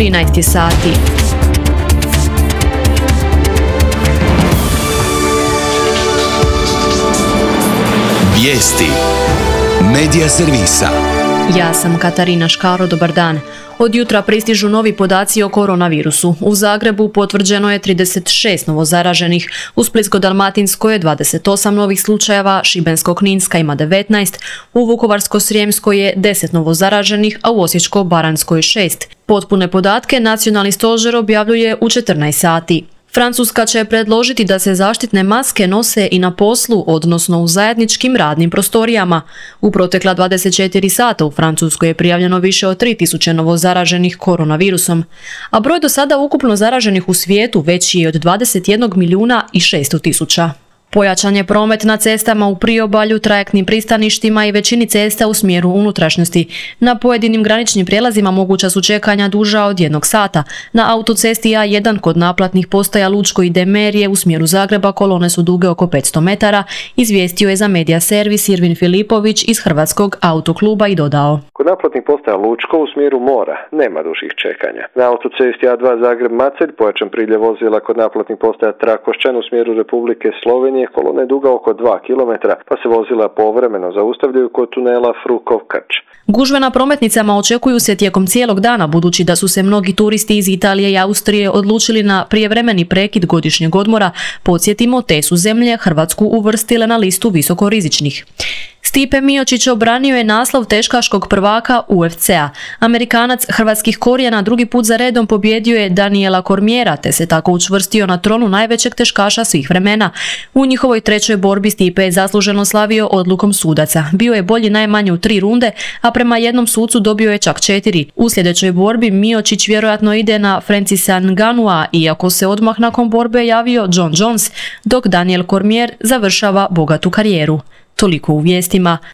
13 sati. Vijesti Medija servisa. Ja sam Katarina Škaro, dobar dan. Od jutra pristižu novi podaci o koronavirusu. U Zagrebu potvrđeno je 36 novozaraženih, u Splitsko-dalmatinskoj je 28 novih slučajeva, Šibensko-kninska ima 19, u Vukovarsko-srijemskoj je 10 novozaraženih, a u Osječko-baranjskoj 6. Potpune podatke Nacionalni stožer objavljuje u 14 sati. Francuska će predložiti da se zaštitne maske nose i na poslu, odnosno u zajedničkim radnim prostorijama. U protekla 24 sata u Francuskoj je prijavljeno više od 3000 novozaraženih koronavirusom, a broj do sada ukupno zaraženih u svijetu veći je od 21.600.000. Pojačan je promet na cestama u priobalju, trajektnim pristaništima i većini cesta u smjeru unutrašnjosti. Na pojedinim graničnim prijelazima moguća su čekanja duža od 1 sata. Na autocesti A1 kod naplatnih postaja Lučko i Demerije u smjeru Zagreba kolone su duge oko 500 metara, izvijestio je za Medija servis Irvin Filipović iz Hrvatskog autokluba i dodao. Kod naplatnih postaja Lučko u smjeru mora nema dužih čekanja. Na autocesti A2 Zagreb-Macelj pojačan priljev vozila kod naplatnih postaja Trakošćan u smjeru Republike Slovenije, kolona je duga oko 2 km, pa se vozila povremeno zaustavljaju kod tunela Frukov-Krč. Gužve na prometnicama očekuju se tijekom cijelog dana, budući da su se mnogi turisti iz Italije i Austrije odlučili na prijevremeni prekid godišnjeg odmora. Podsjetimo, te su zemlje Hrvatsku uvrstile na listu visokorizičnih. Stipe Miočić obranio je naslov teškaškog prvaka UFC-a. Amerikanac hrvatskih korijena drugi put za redom pobjedio je Daniela Cormiera, te se tako učvrstio na tronu najvećeg teškaša svih vremena. U njihovoj trećoj borbi Stipe je zasluženo slavio odlukom sudaca. Bio je bolji najmanje u 3 runde, a prema jednom sucu dobio je čak 4. U sljedećoj borbi Miočić vjerojatno ide na Francisa Ngannua, iako se odmah nakon borbe javio John Jones, dok Daniel Cormier završava bogatu karijeru. Toliko u vijestima.